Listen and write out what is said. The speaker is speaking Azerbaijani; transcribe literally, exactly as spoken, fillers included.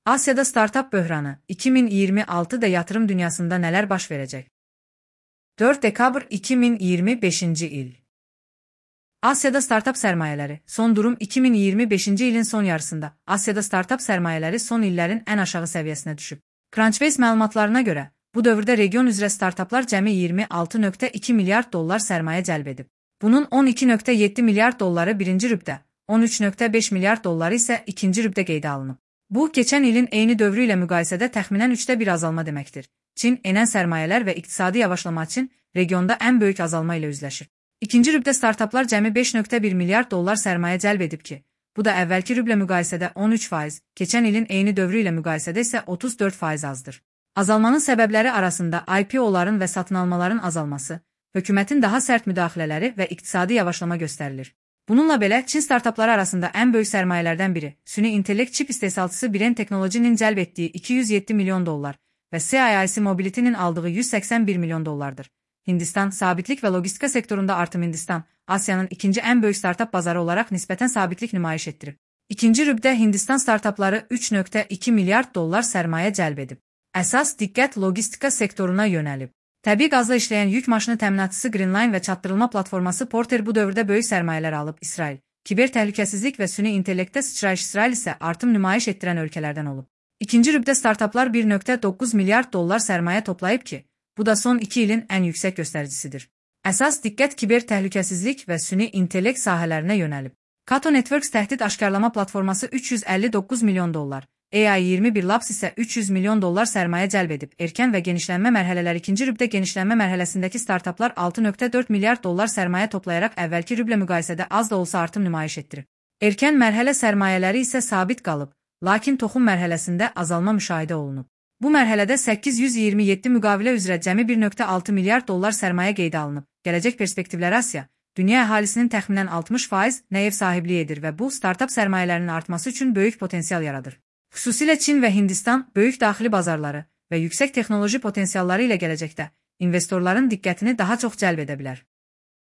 Asya'da startup böhranı, iki min iyirmi altıda yatırım dünyasında neler baş verecek? dört dekabr iki min iyirmi beşinci il. Asya'da startup sermayeleri, son durum iki min iyirmi beşinci ilin son yarısında. Asya'da startup sermayeleri son illerin en aşağı seviyesine düşüb. Crunchbase məlumatlarına göre, bu dövrdə region üzrə startuplar cəmi iyirmi altı nöqtə iki milyard dollar sərmayə cəlb edib. Bunun on iki nöqtə yeddi milyard dolları birinci rübdə, on üç nöqtə beş milyard dolları isə ikinci rübdə qeydə alınıb. Bu, keçən ilin eyni dövrü ilə müqayisədə təxminən üçdə bir azalma deməkdir. Çin, enən sərmayələr və iqtisadi yavaşlama üçün regionda ən böyük azalma ilə üzləşir. İkinci rübdə startuplar cəmi beş nöqtə bir milyard dollar sərmayə cəlb edib ki, bu da əvvəlki rüblə müqayisədə on üç faiz, keçən ilin eyni dövrü ilə müqayisədə isə otuz dörd faiz azdır. Azalmanın səbəbləri arasında I P O'ların və satın almaların azalması, hökumətin daha sərt müdaxilələri və iqtisadi yavaşlama göstərilir. Bununla belə, Çin startupları arasında ən böyük sərmayələrdən biri, süni intellekt çip istehsalçısı Biren Technology'nin cəlb etdiyi iki yüz yeddi milyon dollar və C I I C Mobility'nin aldığı yüz səksən bir milyon dollardır. Hindistan, sabitlik və logistika sektorunda artım. Hindistan, Asiyanın ikinci ən böyük startup bazarı olaraq nisbətən sabitlik nümayiş etdirib. İkinci rübdə Hindistan startupları üç nöqtə iki milyard dollar sərmayə cəlb edib. Əsas diqqət logistika sektoruna yönəlib. Təbii qazla işləyən yük maşını təminatçısı Greenline və çatdırılma platforması Porter bu dövrdə böyük sərmayələr alıb. İsrail, kiber təhlükəsizlik və süni intellektdə sıçrayış. İsrail isə artım nümayiş etdirən ölkələrdən olub. İkinci rübdə startuplar bir nöqtə doqquz milyard dollar sərmayə toplayıb ki, bu da son iki ilin ən yüksək göstəricisidir. Əsas diqqət kiber təhlükəsizlik və süni intellekt sahələrinə yönəlib. Kato Networks təhdid aşkarlama platforması üç yüz əlli doqquz milyon dollar, A I iyirmi bir Labs isə üç yüz milyon dollar sərmayə cəlb edib. Erkən və genişlənmə mərhələləri. İkinci rübdə genişlənmə mərhələsindəki startuplar altı nöqtə dörd milyard dollar sərmayə toplayaraq əvvəlki rüblə müqayisədə az da olsa artım nümayiş etdirib. Erkən mərhələ sərmayələri isə sabit qalıb, lakin toxum mərhələsində azalma müşahidə olunub. Bu mərhələdə səkkiz yüz iyirmi yeddi müqavilə üzrə cəmi bir nöqtə altı milyard dollar sərmayə qeydə alınıb. Gələcək perspektivləri Asiya, dünya əhalisinin təxminən altmış faiz nə ev sahibliyi edir və bu, startup sərmayələrinin artması üçün böyük potensial yaradır. Xüsusilə Çin və Hindistan böyük daxili bazarları və yüksək texnoloji potensialları ilə gələcəkdə investorların diqqətini daha çox cəlb edə bilər.